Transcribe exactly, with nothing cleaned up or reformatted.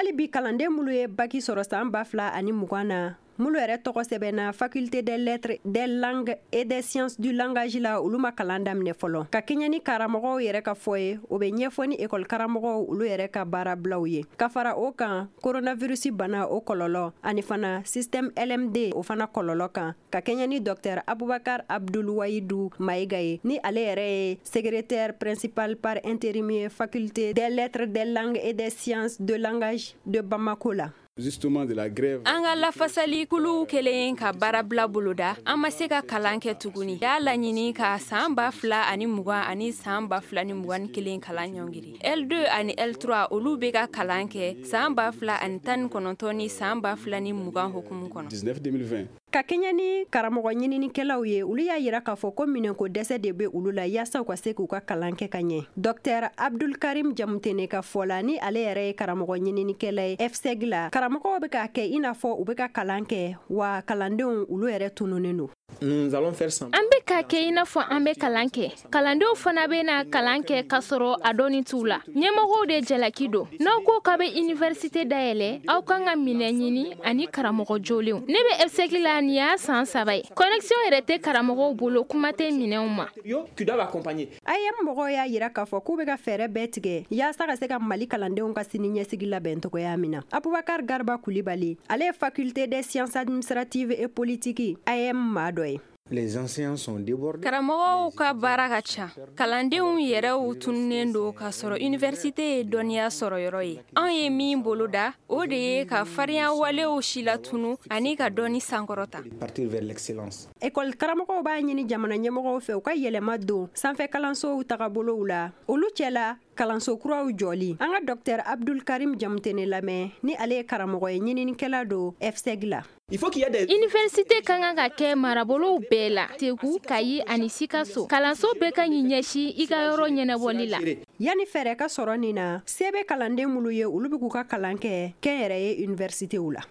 Hali bi, kalanden minnu ye baki sɔrɔ san ba fila ani mugan na, minnu yɛrɛ tɔgɔ sɛbɛnna Faculté des lettres, des langues et des sciences du langage la, olu ma kalan daminɛ fɔlɔ. Ka kɛɲɛ ni karamɔgɔw yɛrɛ ka fɔ ye, o bɛ ɲɛfɔ ni ekɔli karamɔgɔw olu yɛrɛ ka baarabilaw ye. Ka fara o kan, coronavirus bana o kɔlɔlɔ ani fana système L M D, o fana kɔlɔlɔ kan. Ka kɛɲɛ ni docteur Abubakar Abdul Wayidu Mayiga ye, ni ale yɛrɛ ye secrétaire principal par intérim ye Faculté des lettres, des langues et des sciences de langage de Bamako la. Justement de la grève. An ka lafasalikulu kelen ka baarabila boloda, an ma se ka kalan kɛ tuguni. Y'a laɲini ka saan ba fila ani mugan ani saan ba fila ni mugan ni kelen kalan ɲɔngiri. L deux ani L trois, olu bɛ ka kalan kɛ saan ba fila ani tan ni kɔnɔntɔn ni saan ba fila ni mugan hukumu kɔnɔ. dix-neuf deux mille vingt. Ka kɛɲɛ ni karamɔgɔ ɲininikɛlaw ye, olu y'a yira k'a fɔ ko minɛnko dɛsɛ de bɛ olu la yaasa u ka se k'u ka kalan kɛ ka ɲɛ. Docteur Abdulkarim Jamutene ka fɔ la, ni ale yɛrɛ ye karamɔgɔ ɲininikɛla ye F S E G la, karamɔgɔw bɛ k'a kɛ i n'a fɔ u bɛ ka kalan kɛ, wa kalandenw olu yɛrɛ tununnen don. An bɛ ka kɛ i n'a fɔ an bɛ kalan kɛ, kalandenw fana bɛ na kalan kɛ k'a sɔrɔ a dɔnni t'u la. Ɲɛmɔgɔw de jalaki don. N'aw ko k'a bɛ université dayɛlɛ, aw kan ka minɛn ɲini ani karamɔgɔ jolenw. Ne bɛ F S E G la, nin y'a san saba ye, connexion yɛrɛ tɛ karamɔgɔw bolo, kuma tɛ minɛnw ma. A E M mɔgɔw y'a yira k'a fɔ k'u bɛ ka fɛɛrɛ bɛɛ tigɛ yaasa ka se ka Mali kalandenw ka sini ɲɛsigi labɛn cogoya min na. Abubakar Garba Kulibali, ale ye Faculté des sciences administratives et politiques A E M maa dɔ ye. Les enseignants sont débordés. Karamɔgɔw ka baara ka ca, kalandenw yɛrɛw tununnen don, k'a sɔrɔ université ye dɔnniya sɔrɔ yɔrɔ ye. Anw ye min boloda, o de ye ka farinya walew silatunu ani ka dɔnni sankɔrɔta. Partir vers l'excellence. Ekɔli karamɔgɔw b'a ɲini jamana ɲɛmɔgɔw fɛ, u ka yɛlɛma don sanfɛ kalansow tagabolow la, olu cɛla kalanso kuraw jɔli. An ka docteur Abdul Karim Jamutene lamɛn, ni ale ye karamɔgɔ ye, ɲininikɛla don F S E G la. Université ka kan ka kɛ marabolow bɛɛ la, Segu, Kayi ani Sikaso. Kalanso bɛɛ ka ɲi ɲɛsin i ka yɔrɔ ɲɛnabɔli la. Yanni fɛɛrɛ ka sɔrɔ nin na, se bɛ kalanden minnu ye, olu bɛ k'u ka kalan kɛ kɛnyɛrɛye universitéw la.